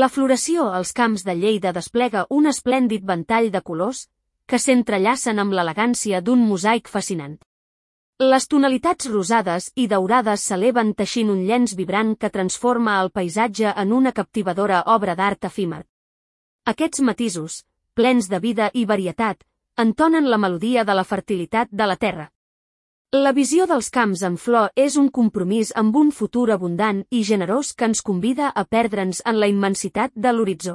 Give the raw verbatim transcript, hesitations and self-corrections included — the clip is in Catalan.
La floració als camps de Lleida desplega un esplèndid ventall de colors que s'entrellacen amb l'elegància d'un mosaic fascinant. Les tonalitats rosades i daurades s'eleven teixint un llenç vibrant que transforma el paisatge en una captivadora obra d'art efímer. Aquests matisos, plens de vida i varietat, entonen la melodia de la fertilitat de la terra. La visió dels camps en flor és un compromís amb un futur abundant i generós que ens convida a perdre'ns en la immensitat de l'horitzó.